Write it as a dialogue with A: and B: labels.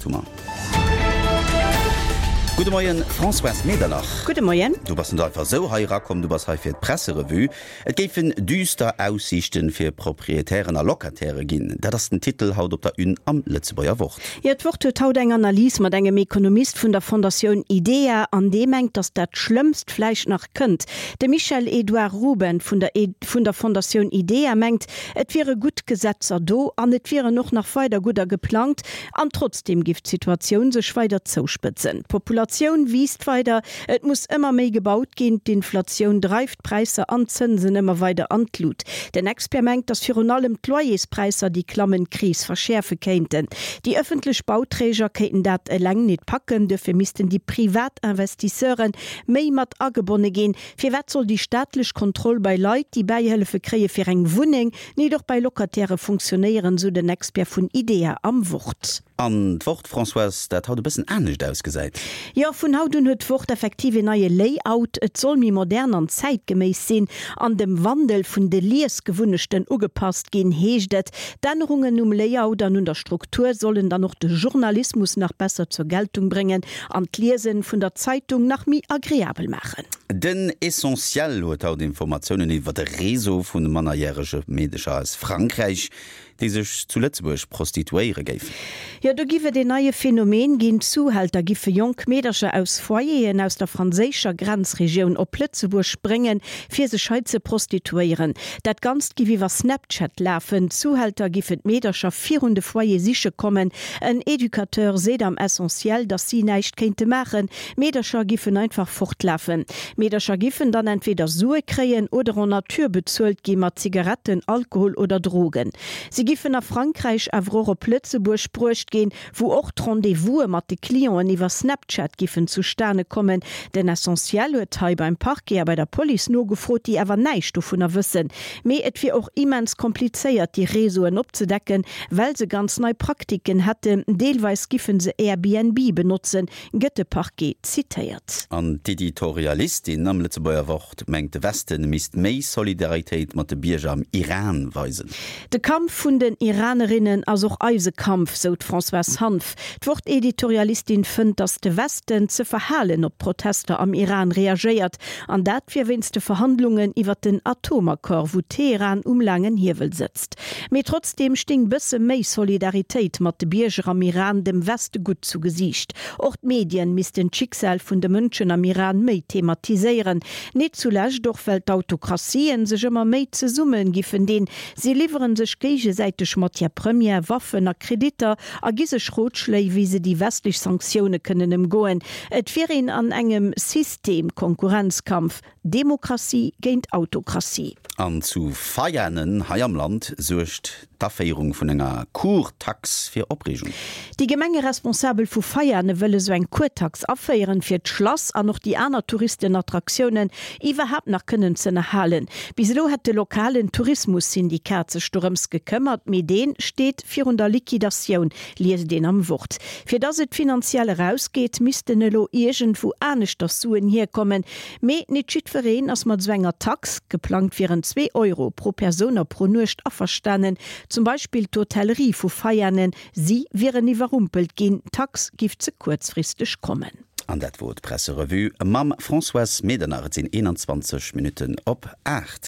A: 8 hu mer. Gudde Moien, Françoise Medernach.
B: Gudde Moien.
A: Du bass net einfach esou hei erakomm, du bass hei fir d'Presserevue. Et géifen düster Aussiichten fir Proprietären a Locataire ginn. Dat ass den Titel haut op der Une am Lëtzebuerger Wort.
B: Jo, d'Wort huet haut eng Analys mat engem Ekonomist vun der Fondatioun IDEA an dee mengt, datt dat Schlëmmst vläicht nach kënnt. De Michel-Edouard Ruben vun der vun der Fondatioun IDEA mengt, et wiere gutt Gesetzer do an et wieren och nach weider gudder geplangt an trotzdeem giff d'Situatioun sech weider zouspëtzen. D'Populatioun wiisst weider, et muss ëmmer méi gebaut ginn, d'Inflatioun dreift d'Präisser an d'Zënsen ëmmer weider an d'Lut. Den Expert mengt, datt virun allem d'Loyerspräisser déi klammend Kris verschäerfe kéinten. Déi ëffentlech Bauträger kéinten dat eleng nit packen, duerfir missten déi privat Investisseure méi mat agebonne ginn. Firwat soll déi staatlech Kontroll bei Leit, déi Bäihëllefe kréie fir eng Wunneng, nit och bei Locatairë funktionéieren, sou den Expert vun IDEA am Wort.
A: An d'Wort, Françoise, dat haut e bëssen anescht ausgesäit.
B: Jo, vun haut un huet d'Wort effektiv een neie Layout. Et soll méi modern an zäitgeméiss sinn an dem Wandel vun de Liesgewunnechten ugepasst ginn, heescht et. D'Ännerungen um Layout an un der Struktur sollen dann och de Journalismus nach besser zur Geltung bréngen an d'Liesen vun der Zeitung nach méi agreabel maachen.
A: Den Essentiel huet haut Informatiounen iwwer e Réseau vu mannerjärege Meedecher aus Frankräich, déi sech zu Lëtzebuerg prostituéiere géifen.
B: Jo, do giff et een neie Phänomen ginn, Zuhälter giffe jonk Meedercher aus Foyeren aus der franséischer Grenzregioun op Lëtzebuerg bréngen, fir sech hei ze prostituéieren. Dat Ganzt giff iwwer Snapchat lafen. D'Zuhälter giffen d'Meedercher virun de Foyer siche kommen. En Educateur seet am Essentiel, datt si näischt kéinte maachen, Meedercher giffen einfach fortlafen. Meedercher giffen dann entweder Sue kréien oder en nature bezuelt gi mat Zigaretten, Alkohol oder Drogen. Si giffen a Frankräich awer och op Lëtzebuerg bruecht ginn, wou och d'Rendez-vouse mat de Clienten iwwer Snapchat giffen zustane kommen. Den Essentiel huet hei beim Parquet a bei der Police nogefrot, déi awer näischt dovunner wëssen. Mee et wier och immens komplizéiert, déi Réseauen opzedecken, well se ganz nei Praktiken hätten. Deelweis giffen se Airbnb benotzen, gëtt de Parquet zitéiert.
A: An d'Editorialistin am Lëtzebuerger Wort mengt, de Westen misst méi Solidaritéit mat de Bierger am Iran weisen.
B: De Kampf vun den Iranerinnen ass och eise Kampf, sou d'Françoise Hanff. D'Wort-Editorialistin fënnt, datt de Westen ze verhalen op d'Protester am Iran reagéiert. An dat wier wéinst de Verhandlungen iwwer den Atomaccord, wou Teheran um laangen Hiewel sëtzt. Mee trotzdeem sting bësse méi Solidaritéit mat de Bierger am Iran dem Weste gutt zu Gesiicht. Och d'Medien missten d'Schicksal vun de Mënschen am Iran méi thematiséieren. Nit zulescht och well d'Autokratien sech ëmmer méi zesumme giffen dinn. Si liwweren sech géigesäiteg Matière première, Waffen a Kreditter a gi sech Rotschléi wéi se déi westlech Sanktioune kënnen ëmgoen. Et wier een an engem System-Konkurrenzkampf. Demokratie géint Autokratie.
A: An zu Veianen hei am Land suergt d'Aféierung vun enger Kurtax fir Opreegung.
B: Déi Gemengeresponsabel vu Veiane wëlle sou eng Kurtax aféieren, fir d'Schlass an och déi aner Touristenattraktiounen iwwerhaapt nach kënnen z'ënnerhalen. Bis elo hätt de lokalen Tourismussyndikat sech dorëms gekëmmert, mee dee steet virun der Liquidatioun, liest een am Wort. Fir dass et finanziell erausgeet, missten elo iergendwou aneschters Suen hierkommen. Mee nit jiddwereen ass mat esou enger Tax, geplangt wieren zwee Euro pro Persoun a pro Nuecht, averstanen. Zum Beispill d'Hotellerie vu Veianen, si wieren iwwerrumpelt ginn, d'Tax giff ze kuerzfristeg kommen.
A: An dat wor d'Presserevue mam Françoise Medernach. Et sinn 21 Minutten op 8.